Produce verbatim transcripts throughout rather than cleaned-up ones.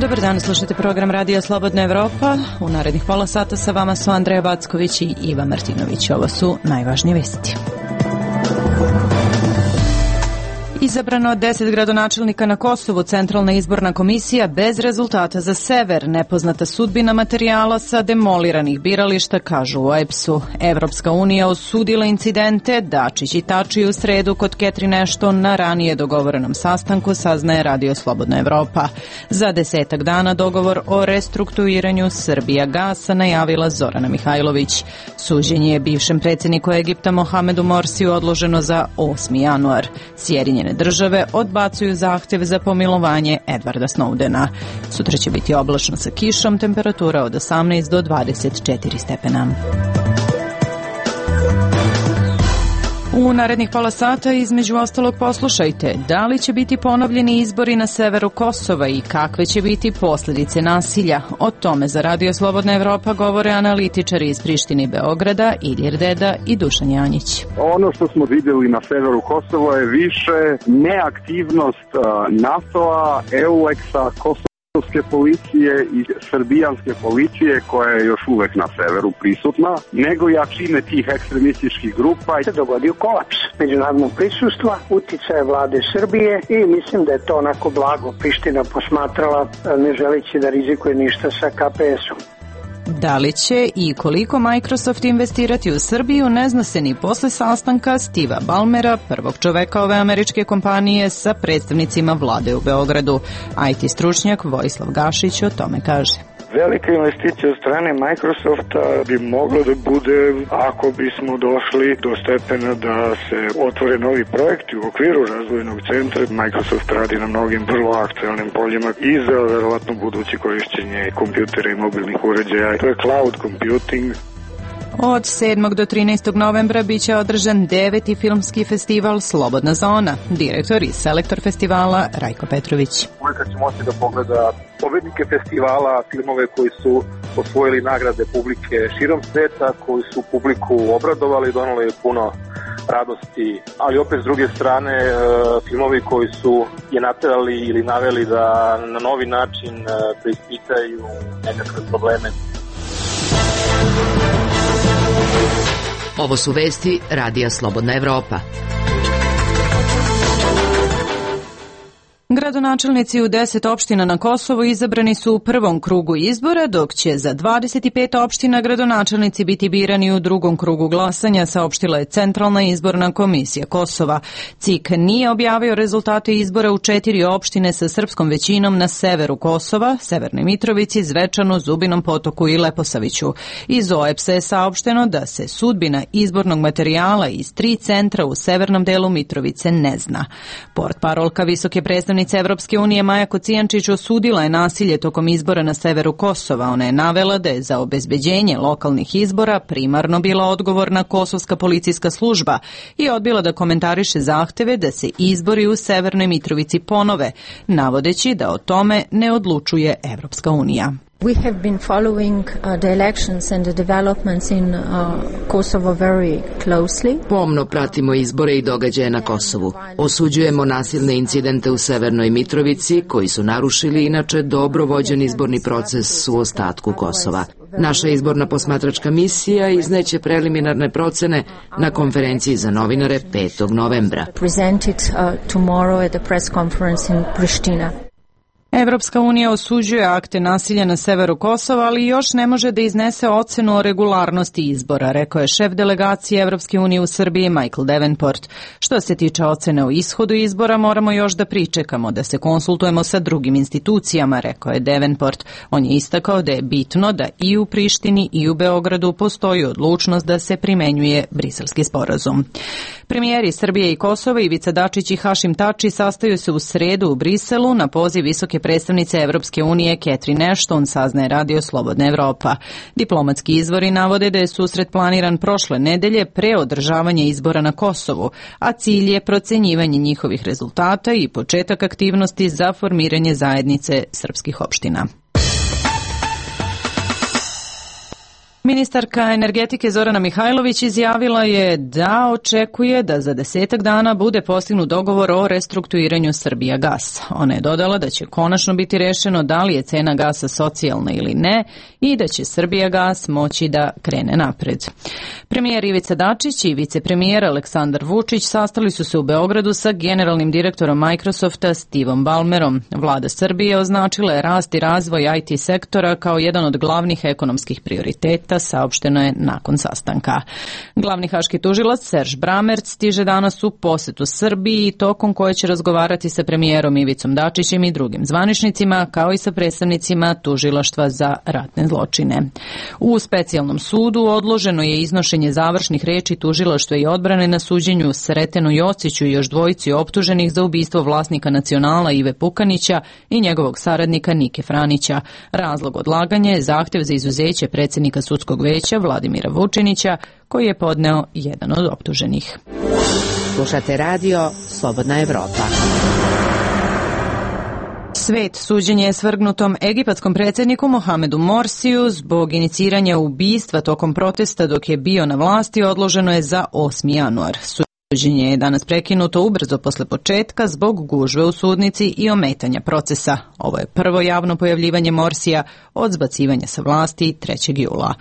Dobar dan, slušate program Radija Slobodna Evropa. U narednih pola sata sa vama su Andreja Backović i Iva Martinović. Ovo su najvažnije vesti. Izabrano deset gradonačelnika na Kosovu, Centralna izborna komisija bez rezultata za sever, nepoznata sudbina materijala sa demoliranih birališta, kažu u O E B S-u. Evropska unija osudila incidente, Dačić i Tači u sredu kod Catherine Ashton na ranije dogovorenom sastanku, saznaje Radio Slobodna Evropa. Za desetak dana dogovor o restrukturiranju Srbija gasa najavila Zorana Mihajlović. Suđenje je bivšem predsjedniku Egipta Mohamedu Morsiju odloženo za osmi januar. Sjedinjene države odbacuju zahtjev za pomilovanje Edwarda Snowdena. Sutra će biti oblačno sa kišom, temperatura od osamnaest do dvadeset četiri stepena. U narednih pola sata između ostalog poslušajte da li će biti ponovljeni izbori na severu Kosova i kakve će biti posljedice nasilja. O tome za Radio Slobodna Evropa govore analitičari iz Prištine i Beograda, Ilir Deda i Dušan Janjić. Ono što smo vidjeli na severu Kosova je više neaktivnost NATO-a, E U L E X-a, Kosova policije i srbijanske policije koja je još uvek na severu prisutna, nego jačine tih ekstremističkih grupa. Se dogodio kolaps međunarodnog prisustva, uticaje vlade Srbije i mislim da je to onako blago Priština posmatrala, ne želeći da rizikuje ništa sa K P S-om. Da li će i koliko Microsoft investirati u Srbiju ne zna se ni posle sastanka Steva Ballmera, prvog čoveka ove američke kompanije, sa predstavnicima vlade u Beogradu. I T stručnjak Vojislav Gašić o tome kaže. Velika investicija od strane Microsofta bi mogla da bude ako bismo došli do stepena da se otvore novi projekti u okviru razvojnog centra. Microsoft radi na mnogim vrlo aktualnim poljima i za verovatno buduće korišćenje kompjutera i mobilnih uređaja. To je cloud computing. Od sedmog do trinaestog novembra biće održan deveti filmski festival Slobodna zona. Direktor i selektor festivala Rajko Petrović. Uvijek će moći da pogleda pobednike festivala, filmove koji su osvojili nagrade publike širom sveta, koji su publiku obradovali, donali puno radosti, ali opet s druge strane filmovi koji su je naterali ili naveli da na novi način preispitaju nekakve probleme. Ovo su vesti Radija Slobodna Evropa. Gradonačelnici u deset opština na Kosovu izabrani su u prvom krugu izbora, dok će za dvadeset pet opština gradonačelnici biti birani u drugom krugu glasanja, saopštila je Centralna izborna komisija Kosova. C I K nije objavio rezultate izbora u četiri opštine sa srpskom većinom na severu Kosova, Severnoj Mitrovici, Zvečanu, Zubinom Potoku i Leposaviću. Iz O E B S-a je saopšteno da se sudbina izbornog materijala iz tri centra u severnom delu Mitrovice ne zna. Portparolka visoke predstavnice Evropske unije Maja Kocijančić osudila je nasilje tokom izbora na severu Kosova. Ona je navela da je za obezbeđenje lokalnih izbora primarno bila odgovorna kosovska policijska služba i odbila da komentariše zahteve da se izbori u Severnoj Mitrovici ponove, navodeći da o tome ne odlučuje Evropska unija. We have been following uh, the elections and the developments in uh, Kosovo very closely. Pomno pratimo izbore i događaje na Kosovu. Osuđujemo nasilne incidente u Severnoj Mitrovici koji su narušili inače dobro vođen izborni proces u ostatku Kosova. Naša izborna posmatračka misija izneće preliminarne procene na konferenciji za novinare petog novembra. Presented uh, tomorrow at the press conference in Pristina. Evropska unija osuđuje akte nasilja na severu Kosova, ali još ne može da iznese ocenu o regularnosti izbora, rekao je šef delegacije Evropske unije u Srbiji Michael Davenport. Što se tiče ocene o ishodu izbora, moramo još da pričekamo, da se konsultujemo sa drugim institucijama, rekao je Davenport. On je istakao da je bitno da i u Prištini i u Beogradu postoji odlučnost da se primenjuje Briselski sporazum. Premijeri Srbije i Kosova Ivica Dačić i Hašim Tači sastaju se u sredu u Briselu na poziv visoke predstavnice Evropske unije Catherine Ashton, saznaje Radio Slobodna Evropa. Diplomatski izvori navode da je susret planiran prošle nedelje pre održavanja izbora na Kosovu, a cilj je procenjivanje njihovih rezultata i početak aktivnosti za formiranje zajednice srpskih opština. Ministarka energetike Zorana Mihajlović izjavila je da očekuje da za desetak dana bude postignut dogovor o restrukturiranju Srbijagasa. Ona je dodala da će konačno biti rešeno da li je cena gasa socijalna ili ne i da će Srbijagas moći da krene napred. Premijer Ivica Dačić i vicepremijer Aleksandar Vučić sastali su se u Beogradu sa generalnim direktorom Microsofta Stevom Ballmerom. Vlada Srbije označila je rast i razvoj I T sektora kao jedan od glavnih ekonomskih prioriteta, saopšteno je nakon sastanka. Glavni haški tužilac Serž Bramerc stiže danas u posetu Srbiji, tokom koje će razgovarati sa premijerom Ivicom Dačićem i drugim zvaničnicima, kao i sa predstavnicima tužilaštva za ratne zločine. U specijalnom sudu odloženo je iznošenje završnih reči tužilaštva i odbrane na suđenju Sretenu Jociću i još dvojici optuženih za ubistvo vlasnika Nacionala Ive Pukanića i njegovog saradnika Nike Franića. Razlog odlaganja je zahtev za izuzeće predsjednika sudskog veća Vladimira Vučinića, koji je podneo jedan od optuženih. Slušate radio Slobodna Evropa. Svet suđenje je svrgnutom egipatskom predsjedniku Mohamedu Morsiju zbog iniciranja ubistva tokom protesta dok je bio na vlasti odloženo je za osmi januar. Suđenje je danas prekinuto ubrzo posle početka zbog gužve u sudnici i ometanja procesa. Ovo je prvo javno pojavljivanje Morsija od zbacivanja sa vlasti trećeg jula.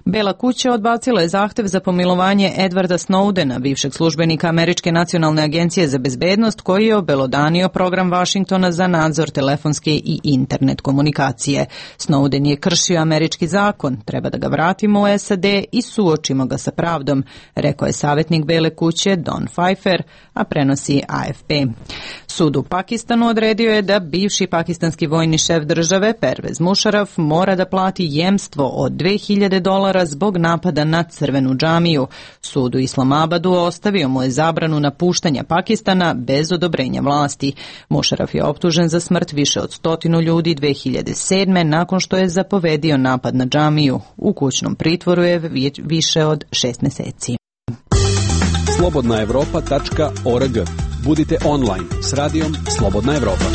Bela kuća odbacila je zahtev za pomilovanje Edwarda Snowdena, bivšeg službenika Američke nacionalne agencije za bezbednost, koji je obelodanio program Vašingtona za nadzor telefonske i internet komunikacije. Snowden je kršio američki zakon, treba da ga vratimo u S A D i suočimo ga sa pravdom, rekao je savjetnik Bele kuće Don Pfeiffer, a prenosi A F P. Sud u Pakistanu odredio je da bivši pakistanski vojni šef države Pervez Musharraf mora da plati jemstvo od dve hiljade dolara zbog napada na crvenu džamiju. Sud u Islamabadu ostavio mu je zabranu napuštanja Pakistana bez odobrenja vlasti. Musharraf je optužen za smrt više od stotinu ljudi dve hiljade sedme nakon što je zapovedio napad na džamiju. U kućnom pritvoru je više od šest meseci. slobodna evropa tačka org. Budite online s radijom Slobodna Evropa.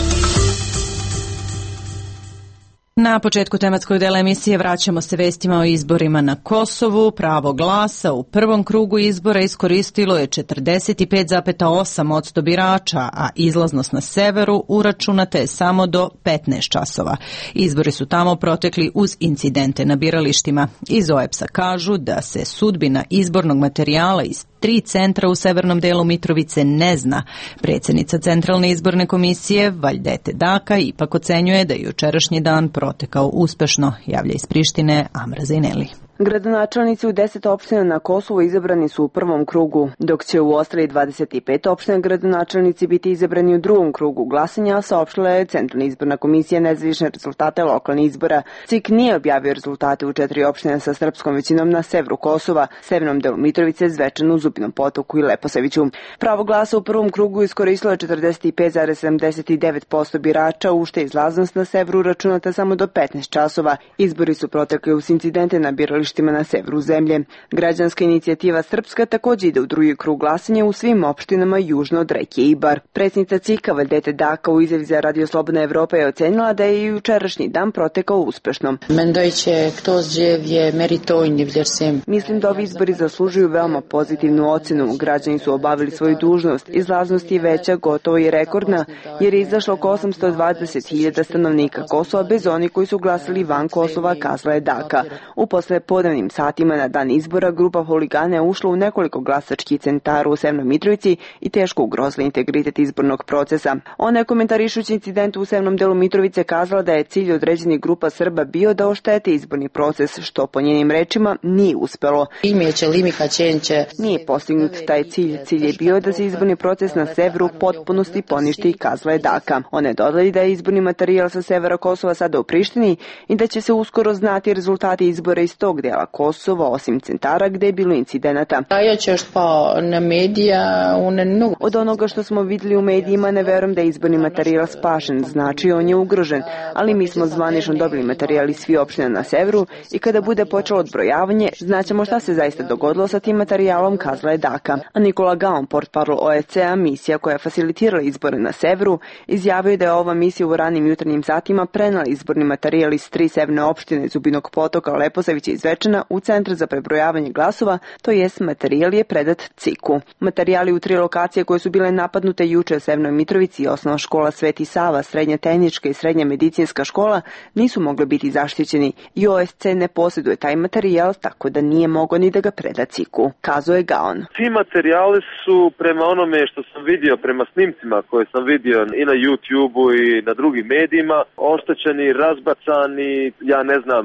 Na početku tematskog dela emisije vraćamo se vestima o izborima na Kosovu. Pravo glasa u prvom krugu izbora iskoristilo je četrdeset pet zarez osam posto birača, a izlaznost na severu uračunata je samo do petnaest časova. Izbori su tamo protekli uz incidente na biralištima. Iz O E B S-a kažu da se sudbina izbornog materijala iz tri centra u severnom delu Mitrovice ne zna. Predsjednica Centralne izborne komisije Vajdete Daka ipak ocenjuje da je jučerašnji dan protekao uspešno, javlja iz Prištine Amra Zaineli. Gradonačelnici u deset opština na Kosovu izabrani su u prvom krugu, dok će u ostalih dvadeset pet opština gradonačelnici biti izabrani u drugom krugu glasanja, saopštila je Centralna izborna komisija nezavisne rezultate lokalnih izbora. C I K nije objavio rezultate u četiri opštine sa srpskom većinom na severu Kosova, severnom delu Mitrovice, Zvečanu, Zubinom Potoku i Leposaviću. Pravo glasa u prvom krugu iskoristilo je četrdeset pet zarez sedamdeset devet posto birača, u što je izlaznost na severu računata samo do petnaest časova. Izbori su protekli uz incidente na biralištima na severu zemlje. Građanska inicijativa Srpska također ide u drugi krug glasanja u svim opštinama južno od reke Ibar. Predsjednica C I K-a Vajdete Daka u izjavi za Radio Slobodna Evropa je ocenila da je i jučerašnji dan protekao uspešno. Mislim da ovi izbori zaslužuju veoma pozitivnu ocenu. Građani su obavili svoju dužnost. Izlaznost je veća, gotovo i rekordna, jer je izašlo oko osamsto dvadeset hiljada stanovnika Kosova bez onih koji su glasali van Kosova, kazala je Daka. U posle podnevnim satima na dan izbora grupa huligana je ušla u nekoliko glasačkih centara u Severnoj Mitrovici i teško ugrozila integritet izbornog procesa. Ona je komentarišući incident u severnom delu Mitrovice kazala da je cilj određenih grupa Srba bio da oštete izborni proces, što po njenim rečima nije uspelo. Nije postignut taj cilj. Cilj je bio da se izborni proces na severu u potpunosti poništi, kazala je Daka. Ona je dodala da je izborni materijal sa severa Kosova sada u Prištini i da će se uskoro znati rezultati izbora iz tog dela Kosova, osim centara gde je bilo incidenata. Od onoga što smo vidjeli u medijima, ne verujem da je izborni materijal spašen, znači on je ugrožen, ali mi smo zvanično dobili materijal iz svih opština na severu i kada bude počelo odbrojavanje, znaćemo šta se zaista dogodilo sa tim materijalom, kazala je Daka. A Nikola Gaon, portparol O E C A, misija koja je facilitirala izbore na severu, izjavio da je ova misija u ranim jutarnjim satima prenala izborni materijal iz tri severne opštine Zubinog Potoka, Leposavića i Zvečana Zvečana u Centar za prebrojavanje glasova, to jest materijal je predat C I K-u. Materijali u tri lokacije koje su bile napadnute juče u Severnoj Mitrovici, osnovna škola Sveti Sava, srednja tehnička i srednja medicinska škola, nisu mogli biti zaštićeni i O S C ne posjeduje taj materijal, tako da nije mogao ni da ga preda C I K-u, kazao je Gaon. Ti materijali su prema onome što sam vidio, prema snimcima koje sam vidio i na YouTube-u i na drugim medijima, oštećeni, razbacani, ja ne znam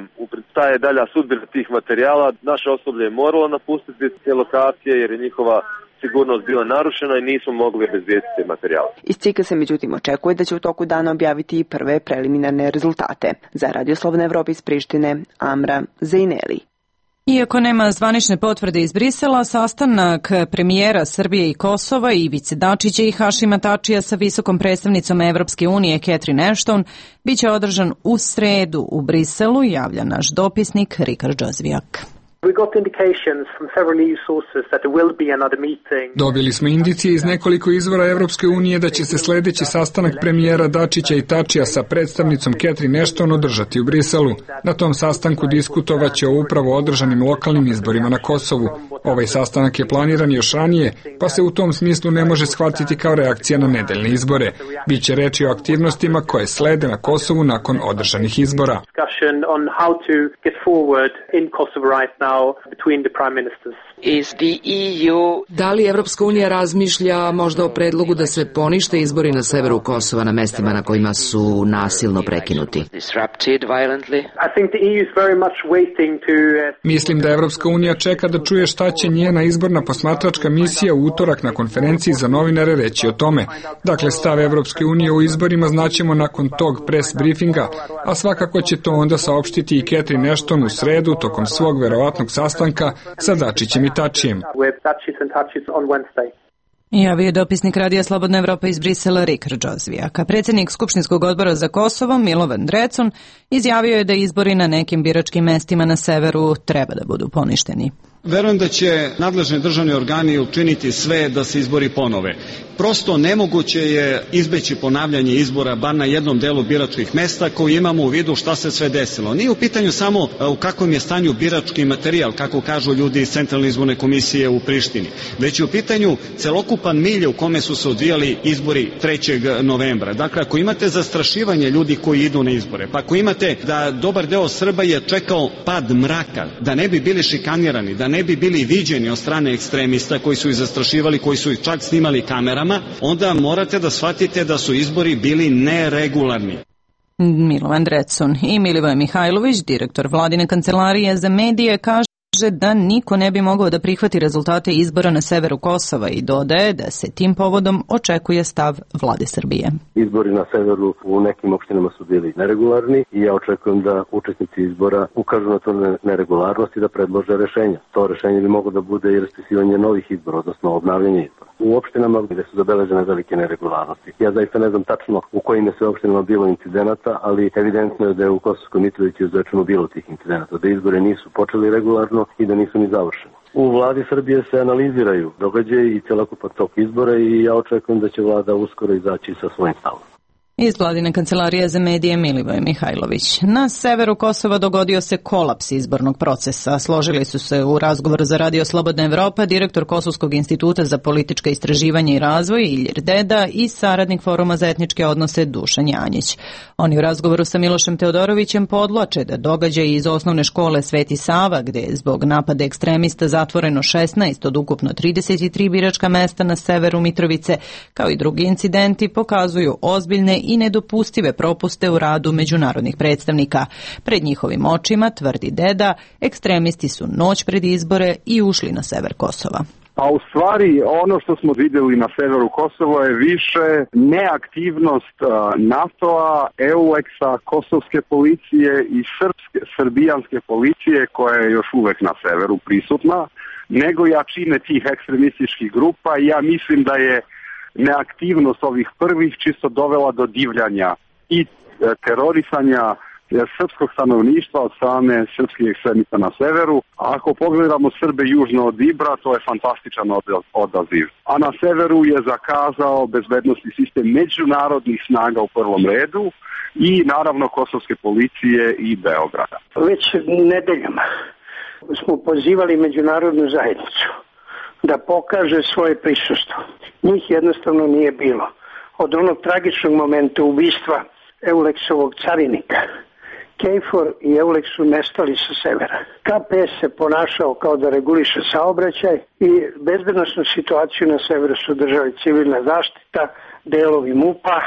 šta je dalja sudbina tih materijala. Naše osoblje je moralo napustiti te lokacije jer je njihova sigurnost bila narušena i nismo mogli obezbediti te materijale. Iz C I K-a se međutim očekuje da će u toku dana objaviti i prve preliminarne rezultate. Za Radio Slobodna Evropa iz Prištine, Amra Zejneli. Iako nema zvanične potvrde iz Brisela, sastanak premijera Srbije i Kosova Ivice Dačića i Hašima Tačija sa visokom predstavnicom Evropske unije Catherine Ashton biće održan u sredu u Briselu, javlja naš dopisnik Rikard Džozvijak. Dobili smo indicije iz nekoliko izvora Evropske unije da će se sledeći sastanak premijera Dačića i Tačija sa predstavnicom Catherine Ashton održati u Briselu. Na tom sastanku diskutovaće o upravo održanim lokalnim izborima na Kosovu. Ovaj sastanak je planiran još ranije, pa se u tom smislu ne može shvatiti kao reakcija na nedeljne izbore. Biće reči o aktivnostima koje slede na Kosovu nakon održanih izbora. Da li Evropska unija razmišlja možda o predlogu da se ponište izbori na severu Kosova na mestima na kojima su nasilno prekinuti? Mislim da Evropska unija čeka da čuje šta će njena izborna posmatračka misija u utorak na konferenciji za novinare reći o tome. Dakle, stav Evropske unije u izborima znaćemo nakon tog press briefinga, a svakako će to onda saopštiti i Catherine Ashton u sredu tokom svog verovatnog sastanka sa Dačićem i Tačijem. Javio je dopisnik Radija Slobodna Evropa iz Brisela Rikard Džozvijak. A predsjednik Skupštinskog odbora za Kosovo Milovan Drecun izjavio je da izbori na nekim biračkim mestima na severu treba da budu poništeni. Verujem da će nadležni državni organi učiniti sve da se izbori ponove. Prosto nemoguće je izbeći ponavljanje izbora bar na jednom delu biračkih mesta koji imamo u vidu šta se sve desilo. Nije u pitanju samo u kakvom je stanju birački materijal, kako kažu ljudi iz Centralne izborne komisije u Prištini, već je u pitanju celokupan milje u kome su se odvijali izbori trećeg novembra. Dakle, ako imate zastrašivanje ljudi koji idu na izbore, pa ako imate da dobar deo Srba je čekao pad mraka, da ne bi bili šikanirani, da ne bi bili viđeni od strane ekstremista koji su ih zastrašivali, koji su ih čak snimali kamerama, onda morate da shvatite da su izbori bili neregularni. Milovan Drecun i Milivoje Mihajlović, direktor Vladine kancelarije za medije, kaže da niko ne bi mogao da prihvati rezultate izbora na severu Kosova i dodaje da se tim povodom očekuje stav Vlade Srbije. Izbori na severu u nekim opštinama su bili neregularni i ja očekujem da učesnici izbora ukažu na to neregularnost i da predlože rešenja. To rešenje bi moglo da bude i raspisivanje novih izbora, odnosno obnavljanje izbora. U opštinama gde su zabeležene velike neregularnosti. Ja zaista ne znam tačno u kojim je sve opštinama bilo incidenata, ali evidentno je da je u Kosovskoj Mitrovici u Zvečanu bilo tih incidenata, da izbore nisu počeli regularno i da nisu ni završeni. U vladi Srbije se analiziraju događaji i celokupan tok izbora i ja očekujem da će vlada uskoro izaći sa svojim stavom. Iz Vladine kancelarije za medije Milivoje Mihajlović. Na severu Kosova dogodio se kolaps izbornog procesa. Složili su se u razgovoru za Radio Slobodna Evropa direktor Kosovskog instituta za politička istraživanja i razvoj Ilir Deda i saradnik Foruma za etničke odnose Dušan Janjić. Oni u razgovoru sa Milošem Teodorovićem podlače da događaji iz osnovne škole Sveti Sava, gde je zbog napada ekstremista zatvoreno šesnaest od ukupno trideset tri biračka mesta na severu Mitrovice, kao i drugi incidenti, pokazuju ozbiljne i nedopustive propuste u radu međunarodnih predstavnika. Pred njihovim očima, tvrdi Deda, ekstremisti su noć pred izbore i ušli na sever Kosova. A u stvari ono što smo videli na severu Kosova je više neaktivnost NATO-a, E U Lex-a, kosovske policije i srpske, srbijanske policije koja je još uvek na severu prisutna, nego jačine tih ekstremističkih grupa i ja mislim da je neaktivnost ovih prvih čisto dovela do divljanja i terorisanja srpskog stanovništva od strane srpskih ekstremista na severu. A ako pogledamo Srbe južno od Ibra, to je fantastičan odaziv. A na severu je zakazao bezbednosni sistem međunarodnih snaga u prvom redu i naravno kosovske policije i Beograda. Već nedeljama smo pozivali međunarodnu zajednicu da pokaže svoje prisustvo. Njih jednostavno nije bilo. Od onog tragičnog momenta ubistva Euleksovog carinika, Kejfor i Euleks su nestali sa severa. K P S se ponašao kao da reguliše saobraćaj i bezbednosnu situaciju na severu su držali civilna zaštita, delovi M U P-a,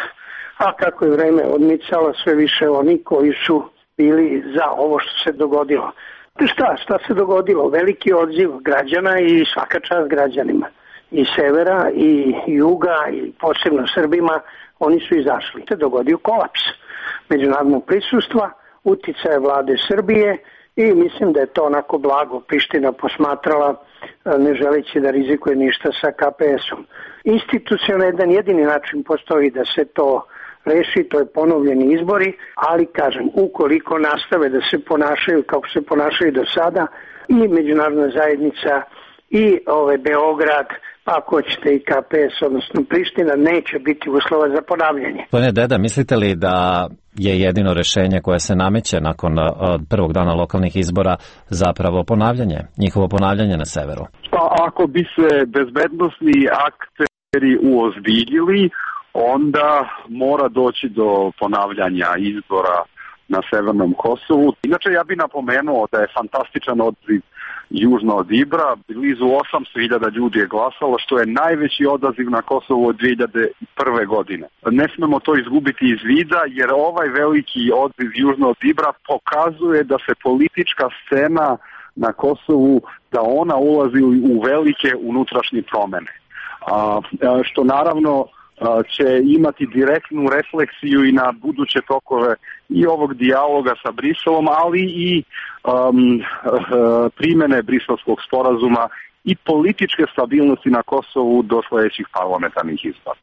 a kako je vreme odmicalo, sve više oni koji su bili za ovo što se dogodilo. Šta, šta se dogodilo? Veliki odziv građana i svaka čast građanima. I severa, i juga, i posebno Srbima, oni su izašli. Se dogodio kolaps međunarodnog prisustva, uticaje vlade Srbije i mislim da je to onako blago Priština posmatrala, ne želeći da rizikuje ništa sa K P S-om. Institucionalno jedan jedini način postoji da se to reši, to je ponovljeni izbori, ali kažem, ukoliko nastave da se ponašaju kako se ponašaju do sada i međunarodna zajednica i ove Beograd, pa ako ćete i K P S, odnosno Priština, neće biti uslova za ponavljanje. Gospodine Deda, mislite li da je jedino rešenje koje se nameće nakon prvog dana lokalnih izbora zapravo ponavljanje, njihovo ponavljanje na severu? Pa ako bi se bezbednosni akteri uozbiljili, onda mora doći do ponavljanja izbora na severnom Kosovu. Inače, ja bih napomenuo da je fantastičan odziv južno od Ibra. Blizu osamsto hiljada ljudi je glasalo, što je najveći odaziv na Kosovu od dve hiljade prve. godine. Ne smemo to izgubiti iz vida, jer ovaj veliki odziv južno od Ibra pokazuje da se politička scena na Kosovu, da ona ulazi u velike unutrašnje promene. A, što naravno će imati direktnu refleksiju i na buduće tokove i ovog dijaloga sa Briselom, ali i um, primene Briselskog sporazuma i političke stabilnosti na Kosovu do sljedećih parlamentarnih izbora.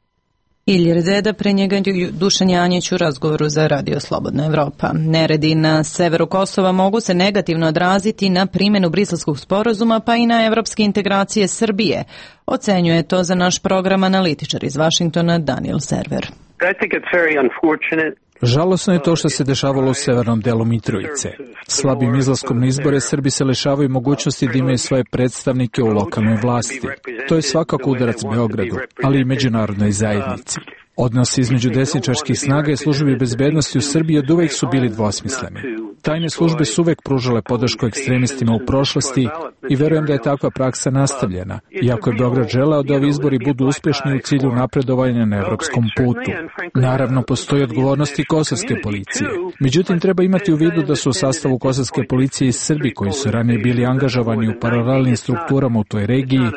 Ilir Zeda, pre njega Dušan Janjić u razgovoru za Radio Slobodna Evropa. Neredi na severu Kosova mogu se negativno odraziti na primjenu Briselskog sporazuma pa i na evropske integracije Srbije. Ocenjuje to za naš program analitičar iz Vašingtona Daniel Server. I think it's very unfortunate. Žalosno je to što se dešavalo u severnom delu Mitrovice. Slabim izlaskom na izbore Srbi se lišavaju mogućnosti da imaju svoje predstavnike u lokalnoj vlasti. To je svakako udarac Beogradu, ali i međunarodnoj zajednici. Odnosi između desničarskih snaga i službi bezbednosti u Srbiji od uvek su bili dvosmisleni. Tajne službe su uvek pružale podršku ekstremistima u prošlosti i verujem da je takva praksa nastavljena, iako je Beograd želeo da ovi izbori budu uspješni u cilju napredovanja na evropskom putu. Naravno, postoji odgovornost i kosovske policije. Međutim, treba imati u vidu da su u sastavu kosovske policije i Srbi koji su ranije bili angažovani u paralelnim strukturama u toj regiji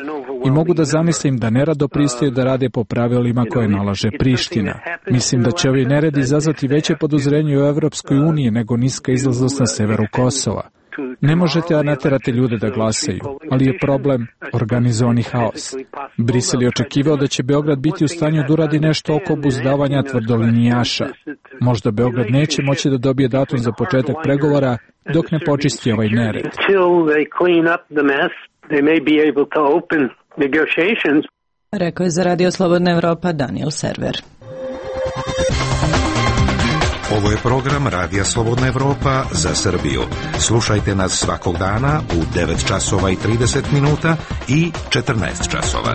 i mogu da zamislim da nerado pristaju da rade po pravilima koje nalaže Priština. Mislim da će ovi neredi izazvati veće podozrenje u Evropskoj uniji nego niska izlaznost na severu Kosova. Ne možete naterati ljude da glasaju, ali je problem organizovani haos. Brisel je očekivao da će Beograd biti u stanju da uradi nešto oko obuzdavanja tvrdolinijaša. Možda Beograd neće moći da dobije datum za početak pregovora dok ne počisti ovaj nered. Rekao je za Radio Slobodna Evropa Daniel Server. Ovo je program Radija Slobodna Evropa za Srbiju. Slušajte nas svakog dana u devet časova i trideset minuta i četrnaest časova.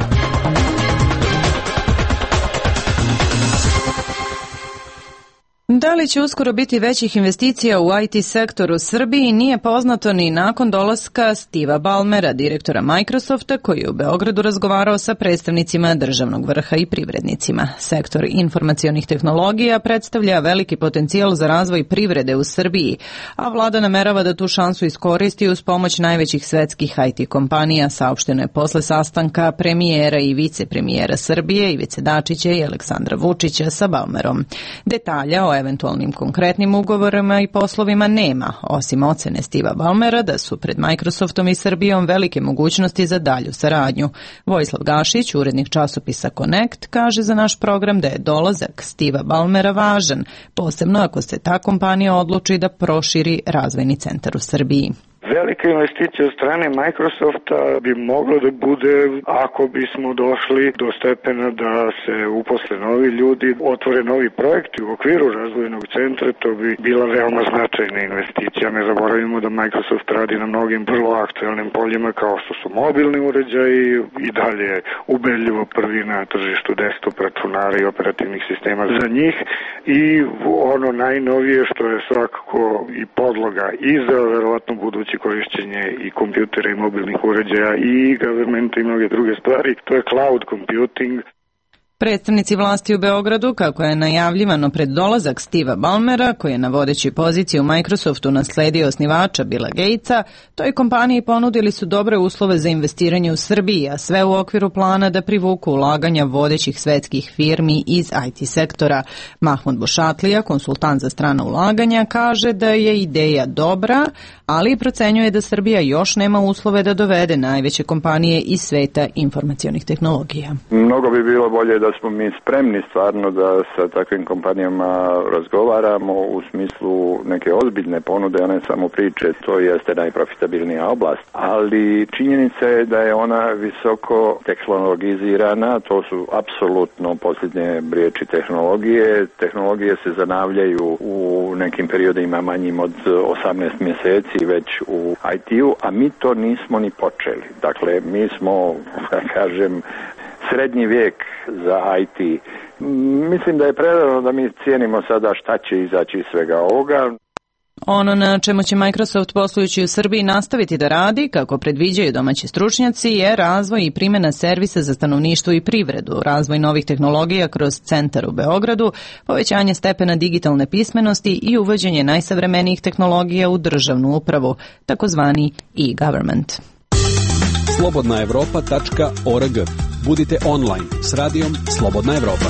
Da li će uskoro biti većih investicija u I T sektoru u Srbiji nije poznato ni nakon dolaska Steva Ballmera, direktora Microsofta, koji je u Beogradu razgovarao sa predstavnicima državnog vrha i privrednicima. Sektor informacionih tehnologija predstavlja veliki potencijal za razvoj privrede u Srbiji, a vlada namerava da tu šansu iskoristi uz pomoć najvećih svetskih I T kompanija, saopšteno je posle sastanka premijera i vicepremijera Srbije Ivice Dačića i Aleksandra Vučića sa Ballmerom. Detalja o eventualnim konkretnim ugovorima i poslovima nema, osim ocene Steva Ballmera da su pred Microsoftom i Srbijom velike mogućnosti za dalju saradnju. Vojislav Gašić, urednik časopisa Connect, kaže za naš program da je dolazak Steva Ballmera važan, posebno ako se ta kompanija odluči da proširi razvojni centar u Srbiji. Velika investicija od strane Microsofta bi mogla da bude ako bismo došli do stepena da se uposle novi ljudi, otvore novi projekti u okviru razvojnog centra, to bi bila veoma značajna investicija. Ne zaboravimo da Microsoft radi na mnogim vrlo aktualnim poljima kao što su mobilni uređaji i dalje ubedljivo prvi na tržištu desktop računara i operativnih sistema za njih i ono najnovije što je svakako i podloga i za verovatno budući korišćenje i kompjutera i mobilnih uređaja i governmenta i mnoge druge stvari, to je cloud computing. Predstavnici vlasti u Beogradu, kako je najavljivano pred dolazak Steva Ballmera, koji je na vodećoj poziciji u Microsoftu nasledio osnivača Billa Gatesa, toj kompaniji ponudili su dobre uslove za investiranje u Srbiji, a sve u okviru plana da privuku ulaganja vodećih svetskih firmi iz I T sektora. Mahmud Bošatlija, konsultant za strana ulaganja, kaže da je ideja dobra, ali procenjuje da Srbija još nema uslove da dovede najveće kompanije iz sveta informacionih tehnologija. Mnogo bi bilo bolje da smo mi spremni stvarno da sa takvim kompanijama razgovaramo u smislu neke ozbiljne ponude, a ne samo priče. To jeste najprofitabilnija oblast, ali činjenica je da je ona visoko tehnologizirana, to su apsolutno posljednje riječi tehnologije. Tehnologije se zanavljaju u nekim periodima manjim od osamnaest mjeseci već u I T-u, a mi to nismo ni počeli. Dakle, mi smo, da kažem, srednji vijek za I T. Mislim da je prerano da mi cijenimo sada šta će izaći iz svega ovoga. Ono na čemu će Microsoft poslujući u Srbiji nastaviti da radi, kako predviđaju domaći stručnjaci, je razvoj i primjena servisa za stanovništvo i privredu, razvoj novih tehnologija kroz centar u Beogradu, povećanje stepena digitalne pismenosti i uvođenje najsavremenijih tehnologija u državnu upravu, takozvani e-government. slobodna evropa tačka org. Budite online s radijom Slobodna Evropa.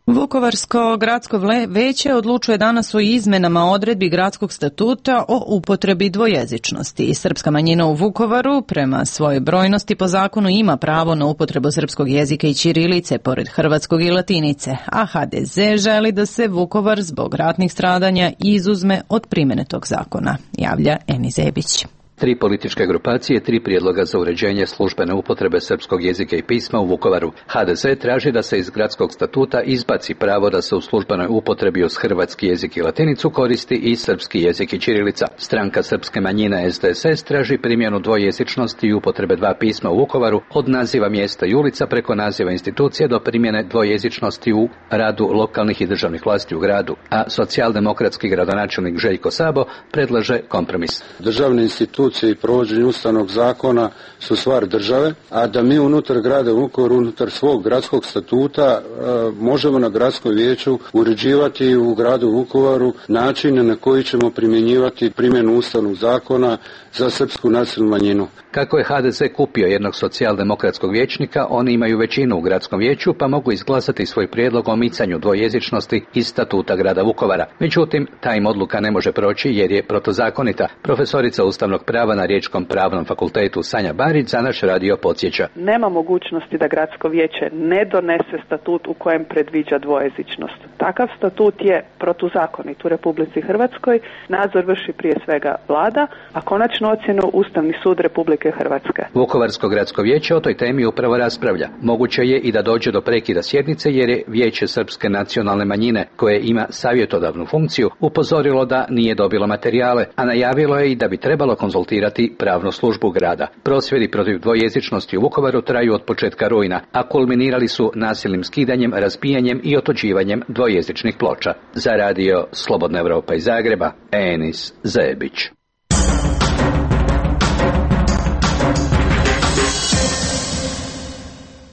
Vukovarsko gradsko veće odlučuje danas o izmenama odredbi gradskog statuta o upotrebi dvojezičnosti. Srpska manjina u Vukovaru prema svojoj brojnosti po zakonu ima pravo na upotrebu srpskog jezika i ćirilice pored hrvatskog i latinice, a H D Z želi da se Vukovar zbog ratnih stradanja izuzme od primjene tog zakona, javlja Eni Zebić. Tri političke grupacije, tri prijedloga za uređenje službene upotrebe srpskog jezika i pisma u Vukovaru. H D Z traži da se iz gradskog statuta izbaci pravo da se u službenoj upotrebi uz hrvatski jezik i latinicu koristi i srpski jezik i ćirilica. Stranka srpske manjine S D S S traži primjenu dvojezičnosti i upotrebe dva pisma u Vukovaru od naziva mjesta i ulica preko naziva institucije do primjene dvojezičnosti u radu lokalnih i državnih vlasti u gradu. A socijaldemokratski gradonačelnik Željko Sabo predlaže kompromis. Državne institucije i provođenje ustavnog zakona su stvar države, a da mi unutar grada Vukovaru, unutar svog gradskog statuta možemo na gradskom vijeću uređivati u gradu Vukovaru načine na koji ćemo primjenjivati primjenu ustavnog zakona za srpsku nacionalnu manjinu. Kako je H D Z kupio jednog socijaldemokratskog vijećnika, oni imaju većinu u gradskom vijeću pa mogu izglasati svoj prijedlog o micanju dvojezičnosti iz statuta grada Vukovara. Međutim, ta im odluka ne može proći jer je protuzakonita. Profesorica ustavnog prava na Riječkom pravnom fakultetu Sanja Barić za naš radio podsjeća. Nema mogućnosti da gradsko vijeće ne donese statut u kojem predviđa dvojezičnost. Takav statut je protuzakonit u Republici Hrvatskoj, nadzor vrši prije svega vlada, a konačnu ocjenu Ustavni sud Republike Hrvatske. Vukovarsko gradsko vijeće o toj temi upravo raspravlja. Moguće je i da dođe do prekida sjednice jer je Vijeće srpske nacionalne manjine, koje ima savjetodavnu funkciju, upozorilo da nije dobilo materijale, a najavilo je i da bi trebalo konzultirati pravnu službu grada. Prosvjedi protiv dvojezičnosti u Vukovaru traju od početka rujna, a kulminirali su nasilnim skidanjem, razbijanjem i otuđivanjem dvojezičnih ploča. Za radio Slobodna Evropa iz Zagreba, Enis Zebić.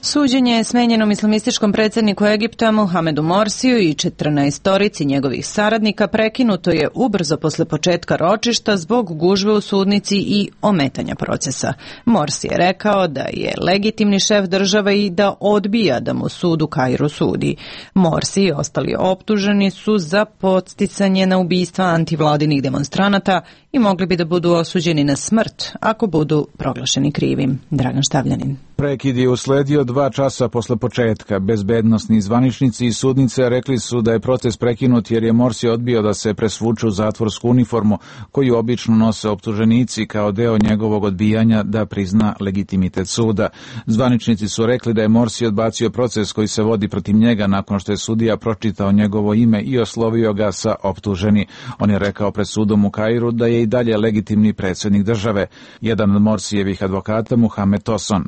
Suđenje je smenjenom islamističkom predsjedniku Egipta Mohamedu Morsiju i četrnaestorici njegovih saradnika prekinuto je ubrzo posle početka ročišta zbog gužve u sudnici i ometanja procesa. Morsi je rekao da je legitimni šef države i da odbija da mu sud u Kairu sudi. Morsi i ostali optuženi su za podsticanje na ubistva antivladinih demonstranata i mogli bi da budu osuđeni na smrt ako budu proglašeni krivim. Dragan Štavljanin. Prekid je usledio dva časa posle početka. Bezbednosni zvaničnici i sudnice rekli su da je protest prekinut jer je Morsi odbio da se presvuče u zatvorsku uniformu koju obično nose optuženici kao deo njegovog odbijanja da prizna legitimitet suda. Zvaničnici su rekli da je Morsi odbacio proces koji se vodi protiv njega nakon što je sudija pročitao njegovo ime i oslovio ga sa optuženi. On je rekao pred sudom u Kairu da je i dalje legitimni predsjednik države. Jedan od Morsijevih advokata, Muhamed Toson.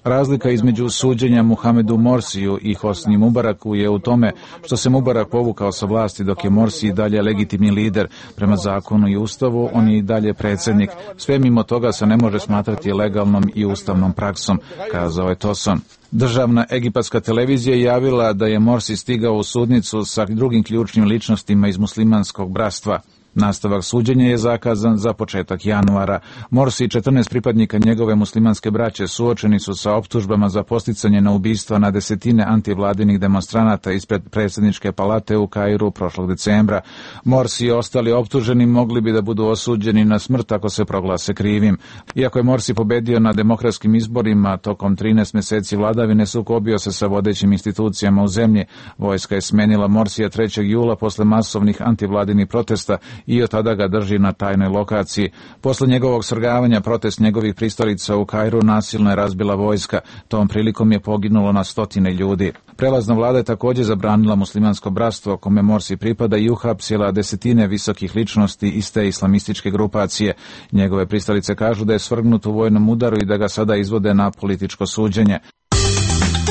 Razlika između suđenja Muhamedu Morsiju i Hosni Mubaraku je u tome što se Mubarak povukao sa vlasti dok je Morsi i dalje legitimni lider. Prema zakonu i ustavu on je i dalje predsjednik. Sve mimo toga se ne može smatrati legalnom i ustavnom praksom, kazao je Toson. Državna egipatska televizija je javila da je Morsi stigao u sudnicu sa drugim ključnim ličnostima iz muslimanskog bratstva. Nastavak suđenja je zakazan za početak januara. Morsi i četrnaest pripadnika njegove muslimanske braće suočeni su sa optužbama za posticanje na ubistva na desetine antivladinih demonstranata ispred predsjedničke palate u Kairu prošlog decembra. Morsi i ostali optuženi mogli bi da budu osuđeni na smrt ako se proglase krivim. Iako je Morsi pobedio na demokratskim izborima, tokom trinaest mjeseci vladavine sukobio se sa vodećim institucijama u zemlji. Vojska je smenila Morsija trećeg jula posle masovnih antivladinih protesta i od tada ga drži na tajnoj lokaciji. Posle njegovog svrgavanja protest njegovih pristalica u Kairu nasilno je razbila vojska. Tom prilikom je poginulo na stotine ljudi. Prelazna vlada je također zabranila muslimansko bratstvo kome Morsi pripada i uhapsila desetine visokih ličnosti iz te islamističke grupacije. Njegove pristalice kažu da je svrgnut u vojnom udaru i da ga sada izvode na političko suđenje.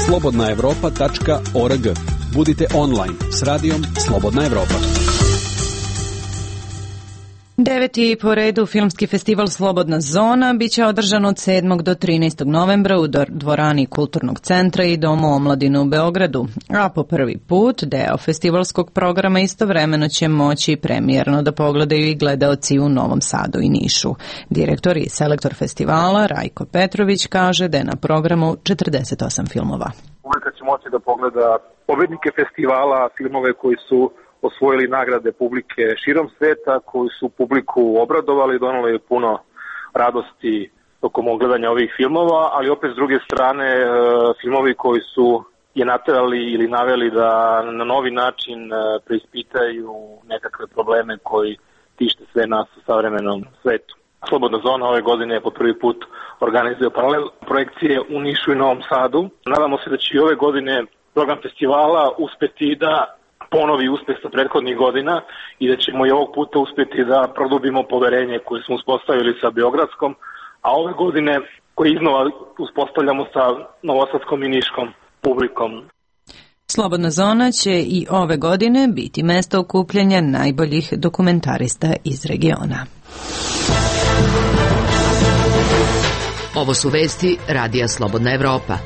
slobodna evropa tačka org. Budite online s radijom Slobodna Evropa. Deveti po redu filmski festival Slobodna zona biće održan od sedmog do trinaestog novembra u dvorani Kulturnog centra i Domu omladine u Beogradu, a po prvi put deo festivalskog programa istovremeno će moći premijerno da pogledaju i gledaoci u Novom Sadu i Nišu. Direktor i selektor festivala Rajko Petrović kaže da je na programu četrdeset osam filmova. Publika će moći da pogleda pobednike festivala, filmove koji su osvojili nagrade publike širom sveta, koji su publiku obradovali, donali puno radosti tokom ogledanja ovih filmova, ali opet s druge strane filmovi koji su je naterali ili naveli da na novi način preispitaju nekakve probleme koji tište sve nas u savremenom svetu. Slobodna zona ove godine po prvi put organizuje paralel projekcije u Nišu i Novom Sadu. Nadamo se da će i ove godine program festivala uspeti da ponovi uspeh sa prethodnih godina i da ćemo i ovog puta uspjeti da produbimo poverenje koje smo uspostavili sa Beogradskom, a ove godine koje iznova uspostavljamo sa novosadskom i niškom publikom. Slobodna zona će i ove godine biti mesto okupljanja najboljih dokumentarista iz regiona. Ovo su vesti Radija Slobodna Evropa.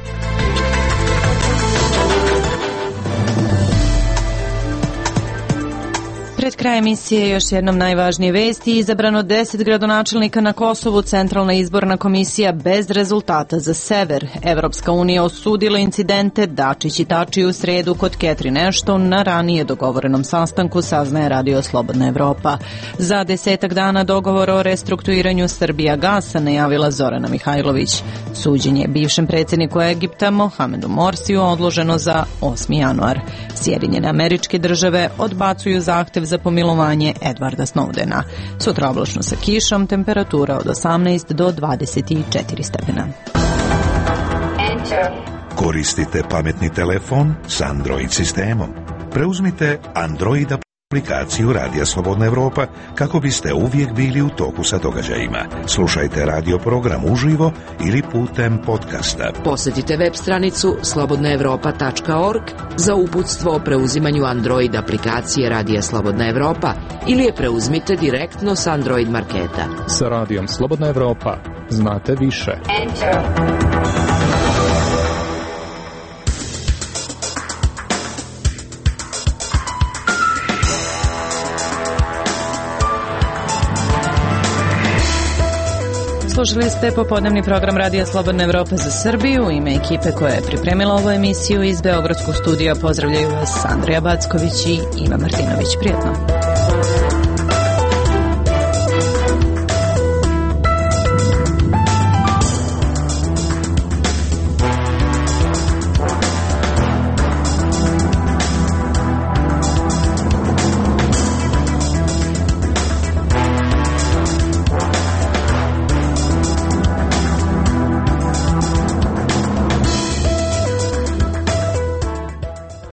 Pred kraj emisije još jednom najvažnije vesti. Izabrano deset gradonačelnika na Kosovu, Centralna izborna komisija bez rezultata za sever. Evropska unija osudila incidente Dačić i Tači u sredu kod Catherine Ashton na ranije dogovorenom sastanku, saznaje Radio Slobodna Evropa. Za desetak dana dogovor o restrukturiranju Srbija gasa najavila Zorana Mihajlović. Suđenje bivšem predsjedniku Egipta Mohamedu Morsiju odloženo za osmi januar. Sjedinjene Američke Države odbacuju zahtev za pomilovanje Edwarda Snowdena. Sutra oblačno sa kišom, temperatura od osamnaest do dvadeset četiri stepena. Koristite pametni telefon s Android sistemom. Preuzmite Android aplikaciju Radija Slobodna Evropa kako biste uvijek bili u toku sa događajima. Slušajte radio program uživo ili putem podcasta. Posjetite web stranicu slobodna evropa tačka org za uputstvo o preuzimanju Android aplikacije Radija Slobodna Evropa ili je preuzmite direktno s Android marketa. Sa Radijom Slobodna Evropa znate više. Enter. Slušali ste popodnevni program Radija Slobodna Evropa za Srbiju. U ime ekipe koja je pripremila ovu emisiju iz Beogradskog studija pozdravljaju vas Andrija Backović i Iva Martinović. Prijetno.